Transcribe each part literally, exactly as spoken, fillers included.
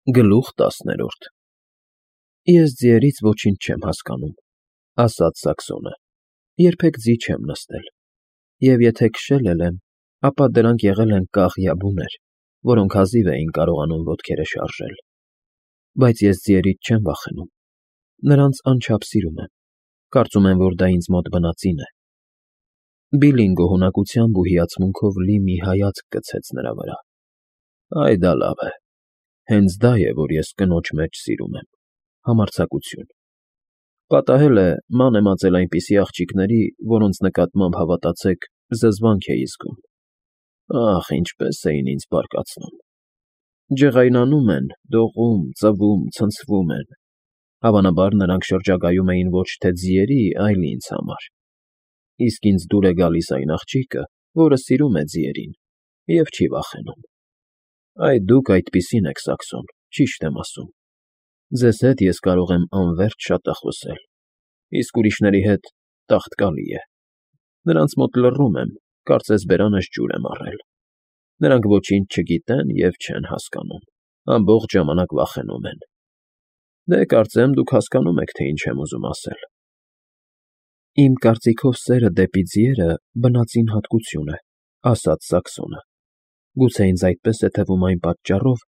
Գլուխ տասներորդ Ես ձիերից ոչինչ չեմ հասկանում, ասաց Սակսոնը, երբեք ձի չեմ նստել, և եթե քշել էլ եմ, ապա դրանք եղել են կաղ֊յաբուներ, որոնք հազիվ էին կարողանում ոտքերը շարժել, բայց ես ձիերից չեմ վախենում, նրանց անչափ սիրում եմ, կարծում եմ, որ դա ինձ մոտ բնածին է։ Բիլլին գոհունակությամբ ու հիացմունքով լի մի հայացք գցեց նրա վրա։ Այ դա լավ է, հենց դա է, որ ես կնոջ մեջ սիրում եմ, համարձակություն։ Պատահել է, ման եմ ածել այնպիսի աղջիկների, որոնց նկատմամբ հավատացեք, զզվանք էի զգում։ Ախ, ինչպես էին ինձ բարկացնում։ Ջղայնանում են, դողում, ծվում, ցնցվում են։ Հավանաբար նրանք շրջագայում էին ոչ թե ձիերի, այլ ինձ համար։ Իսկ ինձ դուր է գալիս այն աղջիկը, որը սիրում է ձիերին և չի վախենում։ Այ դուք այդպիսին եք, Սակսոն, ճիշտ եմ ասում։ Ձեզ հետ ես կարող եմ անվերջ շատախոսել, իսկ ուրիշների հետ տաղտկալի է։ Նրանց մոտ լռում եմ, կարծես բերանս ջուր եմ առել։ Նրանք ոչինչ չգիտեն և չեն հասկանում, ամբողջ ժամանակ վախենում են։ Դե, կարծեմ, դուք հասկանում եք, թե ինչ եմ ուզում ասել։ Իմ կարծիքով սերը դեպի ձիերը բնածին հատկություն է, ասաց Սակսոնը։ Գուցե ինձ այդպես է թվում այն պատճառով,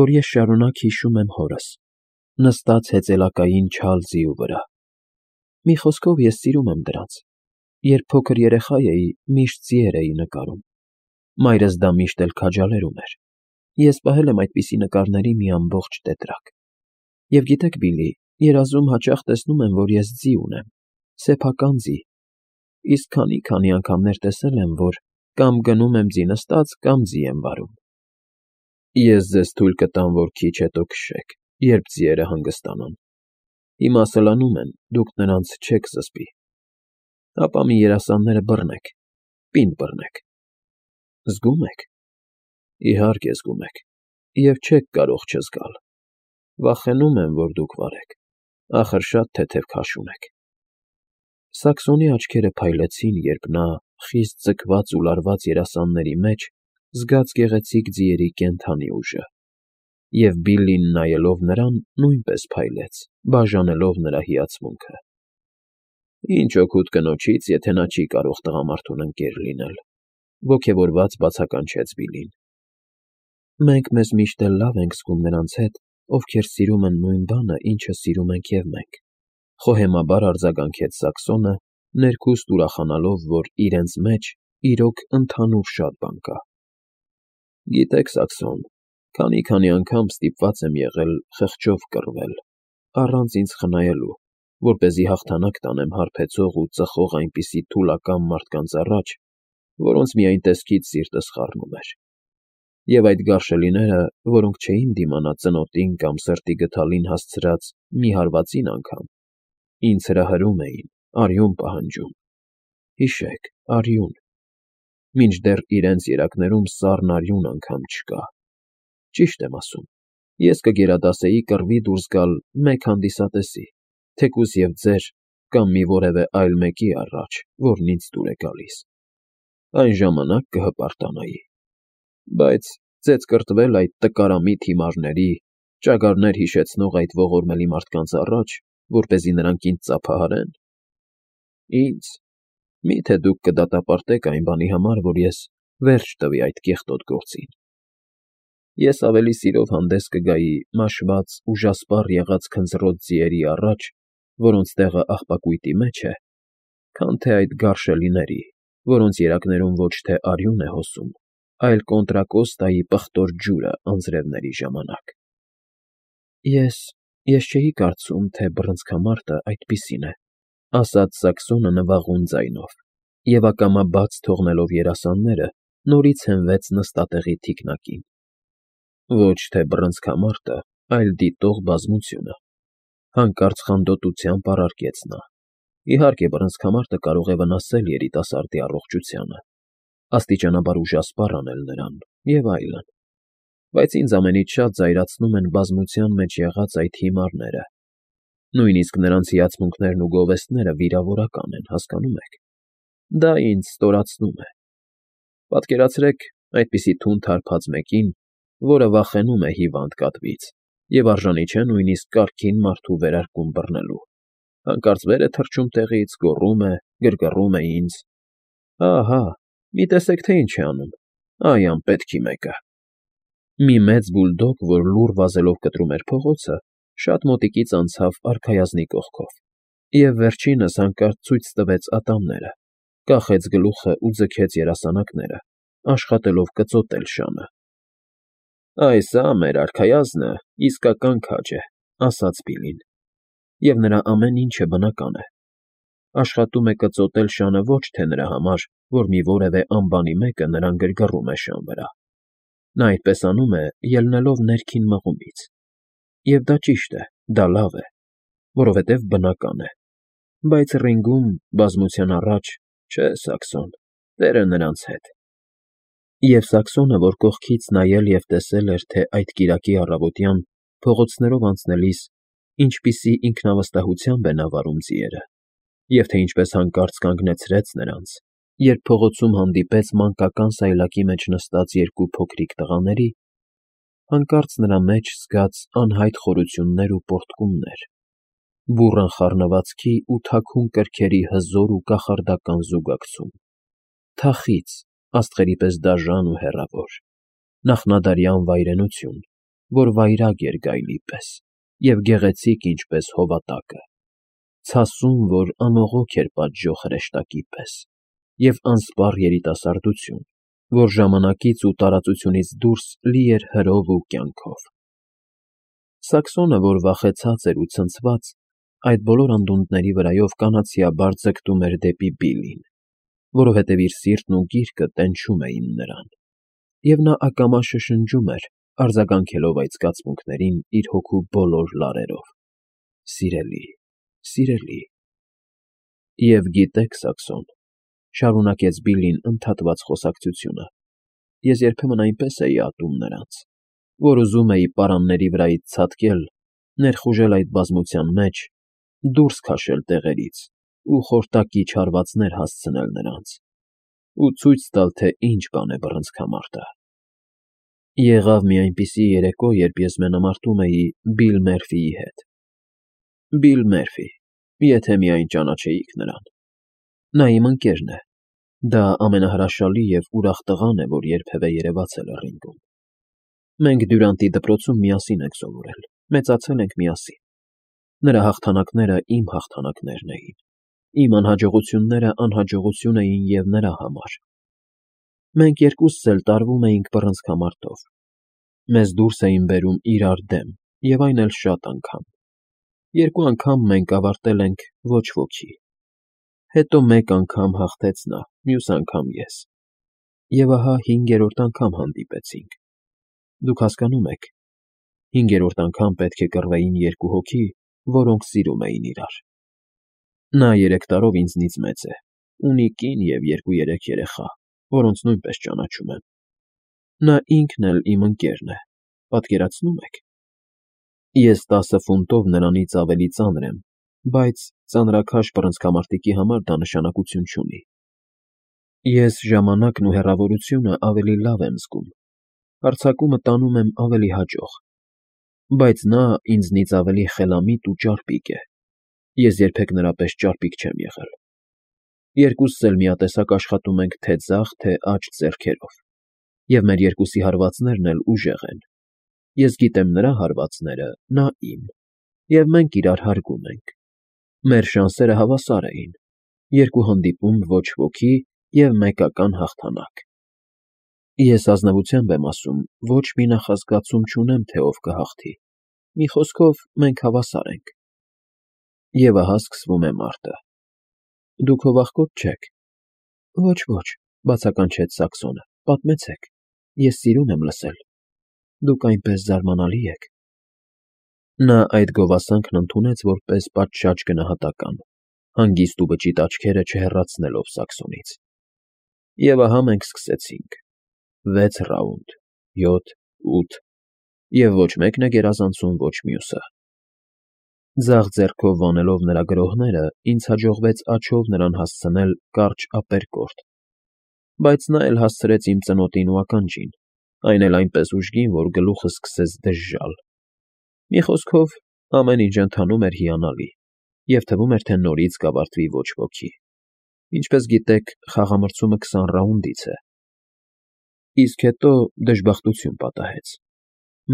որ ես շարունակ հիշում եմ հորս, նստած հեծելակային չալ ձիու վրա։ Մի խոսքով, ես սիրում եմ դրանց։ Երբ փոքր երեխա էի, միշտ ձիեր էի նկարում։ Մայրս դա միշտ էլ քաջալերում էր։ Ես պահել եմ այդպիսի նկարների մի ամբողջ տետրակ։ Եվ գիտեք, Բիլլի, երազում հաճախ տեսնում եմ, որ ես ձի ունեմ, սեփական ձի, իսկ քանի֊քանի անգամներ տեսել եմ, որ կամ գնում եմ ձի նստած, կամ ձի եմ վարում։ Ես ձեզ թույլ կտամ, որ քիչ հետո քշեք, երբ ձիերը հանգստանան։ Հիմա սլանում են, դուք նրանց չեք զսպի։ Ապա մի երասանները բռնեք, պինդ բռնեք։ Զգո՞ւմ եք։ Իհարկե զգում եք, և չեք կարող չզգալ։ Վախենում եմ, որ դուք վարեք, ախր շատ թեթև քաշում եք։ Սակսոնի աչքերը փայլեցին, երբ նա, խիստ ձգված ու լարված երասանների մեջ, զգաց գեղեցիկ ձիերի կենդանի ուժը, և Բիլլին նայելով նրան, նույնպես փայլեց, բաժանելով նրա հիացմունքը։ Ինչ օգուտ կնոջից, եթե նա չի կարող տղամարդուն ընկեր լինել, ոգևորված բացականչեց Բիլլին։ Մենք մեզ միշտ էլ լավ ենք զգում նրանց հետ, ովքեր սիրում են նույն բանը, ինչը սիրում ենք և մենք, խոհեմաբար արձագանքեց Սակսոնը, ներքուստ ուրախանալով, որ իրենց մեջ իրոք ընդհանուր շատ բան կա։ Գիտեք, Սակսոն, քանի֊քանի անգամ ստիպված եմ եղել խղճով կռվել, առանց ինձ խնայելու, որպեսզի հաղթանակ տանեմ հարբեցող ու ծխող այնպիսի թուլակամ մարդկանց առաջ, որոնց միայն տեսքից սիրտս խառնում էր։ Եվ այդ գարշելիները, որոնք չէին դիմանա ծնոտին կամ սրտի գդալին հասցրած մի հարվածին անգամ, ինձ հրահրում էին, արյուն պահանջում։ Հիշեք, արյուն, մինչդեռ իրենց երակներում սառն արյուն անգամ չկա։ Ճիշտ եմ ասում, ես կգերադասեի կռվի դուրս գալ մեկ հանդիսատեսի, թեկուզ և ձեր կամ մի որևէ այլ մեկի առաջ, որն ինձ դուր է գալիս։ Այն ժամանակ կհպարտանայի։ Բայց ծեծ կրտվել այդ տկարամիտ հիմարների, ճագարներ հիշեցնող այդ ողորմելի մարդկանց առաջ, որպեսզի նրանք ինձ ծափահարեն։ Ինձ… Մի՞թե դուք կդատապարտեք այն բանի համար, որ ես վերջ տվի այդ կեղտոտ գործին։ Ես ավելի սիրով հանդես կգայի մաշված, ուժասպառ եղած քնձռոտ ձիերի առաջ, որոնց տեղը աղբակույտի մեջ է, քան թե այդ գարշելիների, որոնց երակներում ոչ թե արյուն է հոսում, այլ Կոնտրակոստայի պղտոր ջուրը անձրևների ժամանակ։ Ես… ես չէի կարծում, թե բռնցքամարտը այդպիսին է, ասաց Սակսոնը նվաղուն ձայնով, և ակամա բաց թողնելով երասանները, նորից հենվեց նստատեղի թիկնակին։ Ոչ թե բռնցքամարտը, այլ դիտող բազմությունը, հանկարծ խանդոտությամբ առարկեց նա։ Իհարկե, բռնցքամարտը կարող է վնասել երիտասարդի առողջությանը, աստիճանաբար ուժասպառ անել նրան և այլն, բայց ինձ ամենից շատ զայրացնում են բազմության մեջ եղած այդ հիմարները։ Նույնիսկ նրանց հիացմունքներն ու գովեստները վիրավորական են, հասկանո՞ւմ եք։ Դա ինձ ստորացնում է։ Պատկերացրեք այդպիսի թունդ հարբած մեկին, որը վախենում է հիվանդ կատվից, և արժանի չէ նույնիսկ կարգին մարդու վերարկուն բռնելու, հանկարծ վեր է թռչում տեղից, գոռում է, գրգռում է ինձ. «Հա՛֊հա՛, մի տեսեք, թե ինչ է անում, ա՛յ անպետքի մեկը»։ Մի մեծ բուլդոգ, որ լուռ վազելով կտրում էր փողոցը, շատ մոտիկից անցավ արքայազնի կողքով և վերջինս հանկարծ ցույց տվեց ատամները, կախեց գլուխն ու ձգեց երասանակները, աշխատելով կծոտել շանը։ «Այ սա մեր արքայազնը իսկական քաջ է», ֊ ասաց Բիլլին, և նրա ամեն ինչը բնական է. աշխատում է կծոտել շանը ոչ թե նրա համար, որ մի որևէ անբանի մեկը նրան գրգռում է շան վրա. նա այդպես անում է՝ ելնելով ներքին մղումից։ Եվ դա ճիշտ է, դա լավ է, որովհետև բնական է, բայց ռինգում, բազմության առաջ, չէ, Սաքսոն, տերը նրանց հետ։ Եվ Սաքսոնը, որ կողքից նայել և տեսել էր, թե այդ կիրակի առավոտյան, փողոցներով անցնելիս, ինչպիսի ինքնավստահությամբ է նա վարում ձիերը, և թե ինչպես հանկարծ կանգնեցրեց նրանց, երբ փողոցում հանդիպեց մանկական սայլակի մեջ նստած երկու փոքրիկ տղաների, հանկարծ նրա մեջ զգաց անհայտ խորություններ ու պոռթկումներ, բուռն խառնվածքի ու թաքուն կրքերի հզոր ու կախարդական զուգակցում, թախիծ, աստղերի պես դաժան ու հեռավոր, նախնադարյան վայրենություն, որ վայրագ էր գայլի պես, և գեղեցիկ ինչպես հովատակը, ցասում, որ անողոք էր պատժող հրեշտակի պես, և անսպառ երիտասարդություն, որ ժամանակից ու տարածությունից դուրս լի էր հրով ու կյանքով։ Սաքսոնը, որ վախեցած էր ու ցնցված, այդ բոլոր անդունդների վրայով կանացիաբար ձգտում էր դեպի Բիլլին, որովհետև իր սիրտն ու գիրկը տենչում էին նրան, և նա ակամա շշնջում էր, արձագանքելով այդ զգացմունքներին իր հոգու բոլոր լարերով. «Սիրելի, սիրելի»։ «Եվ գիտեք, Սաքսոն,֊ շարունակեց Բիլլին ընդհատված խոսակցությունը,֊ ես երբեմն այնպես էի ատում նրանց, որ ուզում էի պարանների վրայից ցատկել, ներխուժել այդ բազմության մեջ, դուրս քաշել տեղերից ու խորտակիչ հարվածներ հասցնել նրանց, ու ցույց տալ, թե ինչ բան է բռնցքամարտը։ Եղավ մի այնպիսի երեկո, երբ ես մենամարտում էի Բիլ Մերֆիի հետ։ Բիլ Մերֆի, եթե միայն ճանաչեիք նրան։ Նա իմ ընկերն է, դա ամենահրաշալի և ուրախ տղան է, որ երբևէ երևացել է ռինգում։ Մենք Դյուրանտի դպրոցում միասին ենք սովորել, մեծացել ենք միասին։ Նրա հաղթանակները իմ հաղթանակներն էին, իմ անհաջողությունները անհաջողություն էին և նրա համար։ Մենք երկուսս էլ տարվում էինք բռնցքամարտով։ Մեզ դուրս էին բերում իրար դեմ, և այն էլ շատ անգամ։ Երկու անգամ մենք ավարտել ենք ոչ ոքի։ Հետո մեկ անգամ հաղթեց նա, մյուս անգամ ես, և ահա հինգերորդ անգամ հանդիպեցինք։ Դուք հասկանում եք, հինգերորդ անգամ պետք է կռվեին երկու հոգի, որոնք սիրում էին իրար։ Նա երեք տարով ինձնից մեծ է, ունի կին և երկու֊երեք երեխա, որոնց նույնպես ճանաչում եմ։ Նա ինքն էլ իմ ընկերն է, պատկերացնո՞ւմ եք։ Ես տասը ֆունտով նրանից ավելի ծանր եմ, բայց ծանրաքաշ բռնցքամարտիկի համար դա նշանակություն չունի։ Ես ժամանակն ու հեռավորությունը ավելի լավ եմ զգում, հարձակումը տանում եմ ավելի հաճոխ, բայց նա ինձնից ավելի խելամիտ ու ճարպիկ է, ես երբեք նրա պես ճարպիկ չեմ եղել։ Երկուսս էլ միատեսակ աշխատում ենք թե ձախ, թե աջ ձեռքերով, և մեր երկուսի հարվածներն էլ ուժեղ են։ Ես գիտեմ նրա հարվածները, նա՝ իմ, և մենք իրար հարգում ենք։ Մեր շանսերը հավասար էին. երկու հանդիպում ոչ ոքի և մեկական հաղթանակ։ Ես ազնվությամբ եմ ասում, ոչ մի նախազգացում չունեմ, թե ով կհաղթի, մի խոսքով, մենք հավասար ենք։ Եվ ահա սկսվում է մարտը։ Դուք հո վախկոտ չեք։ Ոչ, ոչ, բացականչեց Սաքսոնը, պատմեցեք, ես սիրում եմ լսել, դուք այնպես զարմանալի եք։ Նա այդ գովասանքն ընդունեց որպես պատշաճ գնահատական, հանգիստ ու բճիտ աչքերը չհեռացնելով Սաքսոնից։ Եվ ահա մենք սկսեցինք. վեց ռաունդ, յոթ, ութ, և ոչ մեկն է գերազանցում ոչ մյուսը։ Ձախ ձեռքով վանելով նրա գրոհները, ինձ հաջողվեց աջով նրան հասցնել կարճ ապերկորդ, բայց նա էլ հասցրեց իմ ծնոտին ու ականջին, այն էլ այնպես ուժգին, որ գլուխս սկսեց դժժալ։ Մի խոսքով, ամեն ինչ ընթանում էր հիանալի, և թվում էր, թե նորից կավարտվի ոչ ոքի։ Ինչպես գիտեք, խաղամրցումը քսան ռաունդից է։ Իսկ հետո դժբախտություն պատահեց։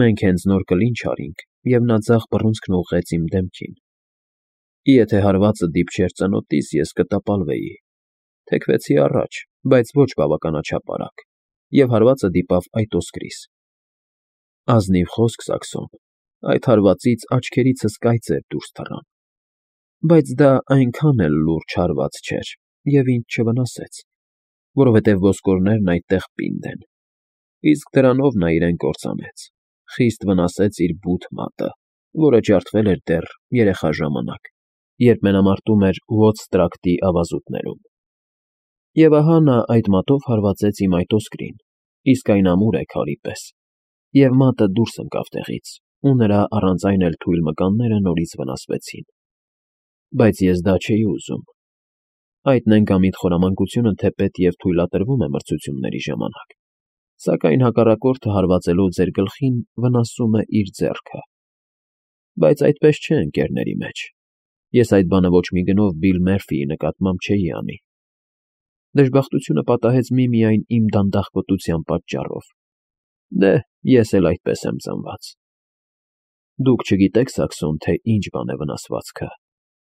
Մենք հենց նոր կլինչ արինք, և նա ձախ բռունցքն ուղղեց իմ դեմքին։ Եթե հարվածը դիպչեր ծնոտիս, ես կտապալվեի։ Թեքվեցի առաջ, բայց ոչ բավականաչափ արագ, և հարվածը դիպավ այդ ոսկրիս։ Ազնիվ խոսք, Սաքսոն, այդ հարվածից աչքերիցս կայծեր դուրս թռան։ Բայց դա այնքան էլ լուրջ հարված չէր և ինձ չվնասեց, որովհետև ոսկորներն այդտեղ պինդ են։ Իսկ դրանով նա իրեն կործանեց, խիստ վնասեց իր բութ մատը, որը ջարդվել էր դեռ երեխա ժամանակ, երբ մենամարտում էր Ուոտս տրակտի ավազուտներում։ Եվ ահա նա այդ մատով հարվածեց իմ այդ ոսկրին, իսկ այն ամուր է քարի պես, և մատը դուրս ընկավ տեղից, ու նրա առանց այն էլ թույլ մկանները նորից վնասվեցին։ Բայց ես դա չէի ուզում։ Այդ նենգամիտ խորամանկությունը թեպետ և թույլատրվում է մրցությունների ժամանակ, սակայն հակառակորդը հարվածելով ձեր գլխին վնասում է իր ձեռքը։ Բայց այդպես չէ ընկերների մեջ։ Ես այդ բանը ոչ մի գնով Բիլ Մերֆիի նկատմամբ չէի անի։ Դժբախտությունը պատահեց միմիայն իմ դանդաղկոտության պատճառով։ Դե, ես էլ այդպես եմ ծնված։ Դուք չգիտեք, Սաքսոն, թե ինչ բան է վնասվածքը,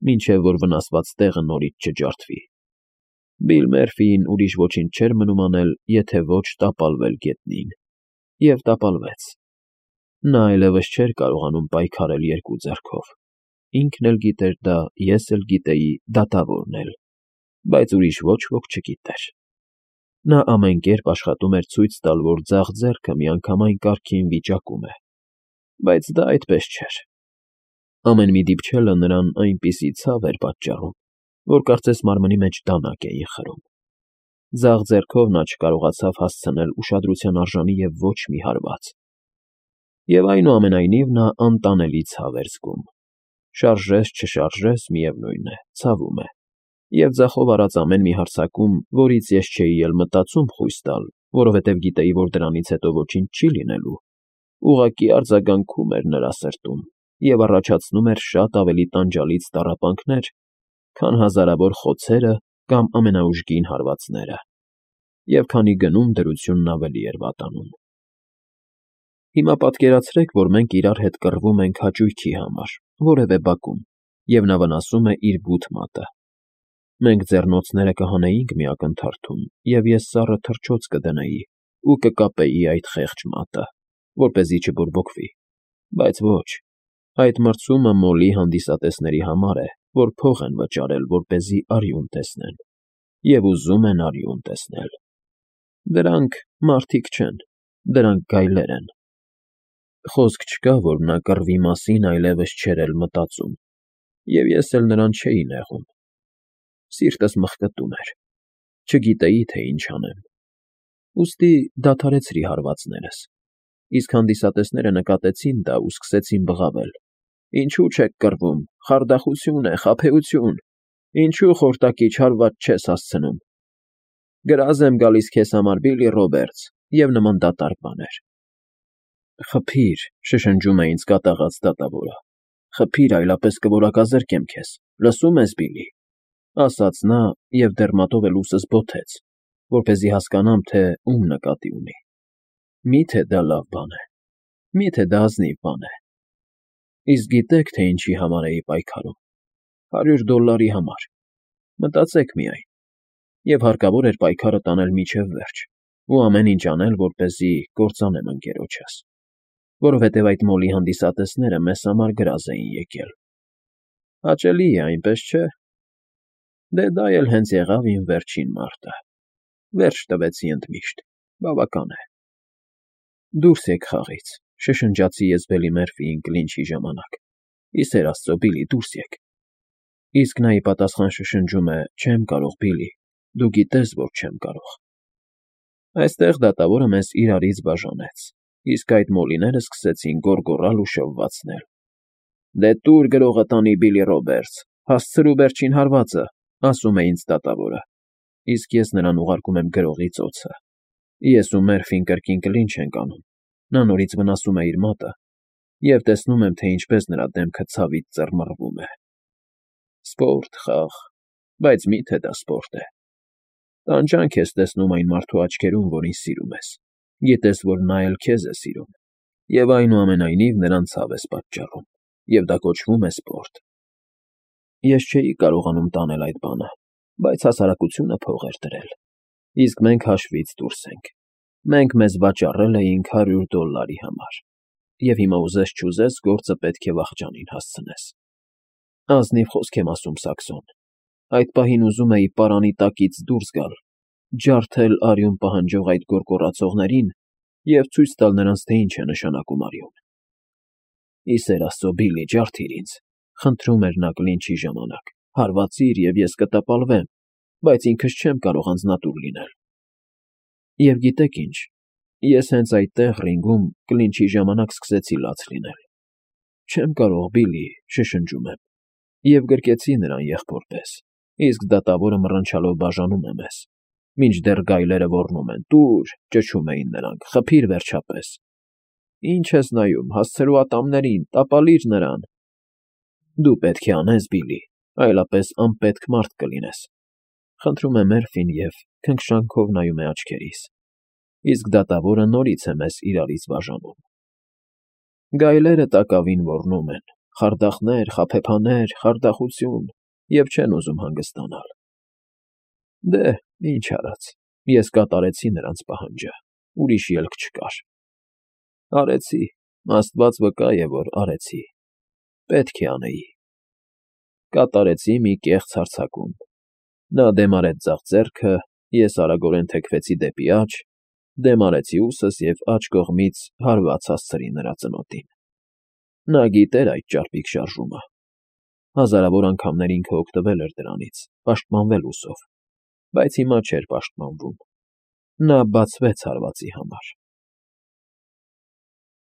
մինչև որ վնասված տեղը նորից չջարդվի։ Բիլ Մերֆիին ուրիշ ոչինչ չէր մնում անել, եթե ոչ տապալվել գետնին։ Եվ տապալվեց։ Նա այլևս չէր կարողանում պայքարել երկու ձեռքով։ Ինքն էլ գիտեր դա, ես էլ գիտեի, դատավորն էլ, բայց ուրիշ ոչ ոք չգիտեր։ Նա ամեն կերպ աշխատում էր ցույց տալ, որ ձախ ձեռքը միանգամայն կարգին վիճակում է, բայց դա այդպես չէր։ Ամեն մի դիպչելը նրան այնպիսի ցավ էր պատճառում, որ կարծես մարմնի մեջ դանակ էին խրում։ Ձախ ձեռքով նա չկարողացավ հասցնել ուշադրության արժանի և ոչ մի հարված։ Եվ այնուամենայնիվ նա անտանելի ցավ էր զգում։ Շարժես, չշարժես, միևնույն է, ցավում է։ Եվ ձախով արած ամեն մի հարձակում, որից ես չէի էլ մտածում խույս տալ, որովհետև գիտեի, որ դրանից հետո ոչինչ չի լինելու, ուղղակի արձագանքում էր նրա սրտում և առաջացնում էր շատ ավելի տանջալից տառապանքներ, քան հազարավոր խոցերը կամ ամենաուժգին հարվածները, և քանի գնում դրությունն ավելի էր վատանում։ Հիմա պատկերացրեք, որ մենք իրար հետ կռվում ենք հաճույքի համար, որևէ բակում, և նա վնասում է իր բութ մատը։ Մենք ձեռնոցները կհանեինք մի ակնթարթում, և ես սառը թռչոց կդնեի ու կկապեի այդ խեղճ մատը, որպեսզի չբորբոքվի։ Բայց ոչ, այդ մրցումը մոլի հանդիսատեսների համար է, որ փող են վճարել, որպեսզի արյուն տեսնեն, և ուզում են արյուն տեսնել։ Դրանք մարդիկ չեն, դրանք գայլեր են։ Խոսք չկա, որ նա կռվի մասին այլևս չէր էլ մտածում, և ես էլ նրան չէի նեղում։ Սիրտս մխկտում էր, չգիտեի, թե ինչ անեմ։ Ուստի դադարեցրի հարվածներս, իսկ հանդիսատեսները նկատեցին դա ու սկսեցին բղավել. «Ինչու չեք կռվում, խարդախություն է, խաբեություն, ինչու խորտակիչ հարված չես հասցնում։ Գրազ եմ գալիս քեզ համար, Բիլլի Ռոբերտս» և նման դատարկ բաներ։ «Խփի՛ր», շշնջում է ինձ կատաղած դատավորը, «խփի՛ր, այլապես կորակազրկեմ քեզ, լսո՞ւմ ես, Բիլլի», ասաց նա և դեռ մատով էլ ուսս բոթեց, որպեսզի հասկանամ, թե ում նկատի ունի։ Մի՞թե դա լավ բան է, մի՞թե դա ազնիվ բան է։ Իսկ գիտե՞ք, թե ինչի համար էի պայքարում։ Հարյուր դոլարի համար։ Մտածեք միայն։ Եվ հարկավոր էր պայքարը տանել մինչև վերջ ու ամեն ինչ անել, որպեսզի կործանեմ ընկերոջս, որովհետև այդ մոլի հանդիսատեսները մեզ համար գրազ էին եկել։ Հաճելի է, այնպես չէ։ Դե դա էլ հենց եղավ իմ վերջին մարտը։ Վերջ տվեցի ընդմիշտ, բավական է։ Դուրս եկ խաղից, շշնջացի ես Բիլի Մերֆիին կլինչի ժամանակ։ Ի սեր Աստծո, Բիլի, դուրս եկ։ Իսկ նա ի պատասխան շշնջում է. «Չեմ կարող, Բիլի, դու գիտես, որ չեմ կարող»։ Այստեղ դատավորը մեզ իրարից բաժանեց, իսկ այդ մոլիները սկսեցին գոռգոռալ ու շվվացնել։ «Դե տուր գրողը տանի, Բիլլի Ռոբերտս, հասցրու վերջին հարվածը», ասում է ինձ դատավորը, իսկ ես նրան ուղարկում եմ գրողի ծոցը։ Ես ու Մերֆին կրկին կլինչ ենք անում, նա նորից վնասում է իր մատը, և տեսնում եմ, թե ինչպես նրա դեմքը ցավից ծռմռվում է։ Սպորտ, խաղ, բայց մի՞թե դա սպորտ է։ Տանջանք ես տեսնում այն մարդու աչքերում, որին սիրում ես, գիտես, որ նա էլ քեզ է սիրում, և այնուամենայնիվ նրան ցավ ես պատճառում, և դա կոչվում է սպորտ։ Ես չէի կարողանում տանել այդ բանը, բայց հասարակությունը փող էր դրել, իսկ մենք հաշվից դուրս ենք։ Մենք մեզ վաճառել էինք հարյուր դոլլարի համար, և հիմա ուզես֊չուզես գործը պետք է վախճանին հասցնես։ Ազնիվ խոսք եմ ասում, Սաքսոն, այդ պահին ուզում էի պարանի տակից դուրս գալ, ջարդել արյուն պահանջող այդ գոռգոռացողներին և ցույց տալ նրանց, թե ինչ է նշանակում արյուն։ Ի սեր Աստծո, Բիլլի, ջարդիր ինձ, խնդրում էր նա կլինչի ժամանակ, հարվածիր, և ես կտապալվեմ, բայց ինքս չեմ կարող անձնատուր լինել։ Եվ գիտեք ինչ, ես հենց այդտեղ, ռինգում, կլինչի ժամանակ սկսեցի լաց լինել։ Չեմ կարող, Բիլլի, շշնջում եմ, և գրկեցի նրան եղբոր պես, իսկ դատավորը մռնչալով բաժանում է մեզ, մինչդեռ գայլերը ոռնում են. «Տուր», ճչում էին նրանք, «խփիր վերջապես»։ Ի՞նչ ես նայում, հասցրու ատամներին, տապալիր նրան։ Դու պետք է անես, Բիլլի, այլապես անպետք մարդ կլինես, խնդրում է Մերֆին և քնքշանքով նայում է աչքերիս, իսկ դատավորը նորից է մեզ իրարից բաժանում։ Գայլերը տակավին ոռնում են. խարդախներ, խաբեբաներ, խարդախություն, և չեն ուզում հանգստանալ։ Դե, ինչ արած, ես կատարեցի նրանց պահանջը, ուրիշ ելք չկար։ Արեցի, Աստված վկա է, որ արեցի, պետք է անեի։ Կատարեցի մի կեղծ հարձակում։ Նա դեմ արեց ձախ ձեռքը, ես արագորեն թեքվեցի դեպի աջ, դեմ արեցի ուսս և աջ կողմից հարված հասցրի նրա ծնոտին։ Նա գիտեր այդ ճարպիկ շարժումը։ Հազարավոր անգամներ ինքը օգտվել էր դրանից, պաշտպանվել ուսով, բայց հիմա չէր պաշտպանվում։ Նա բացվեց հարվածի համար։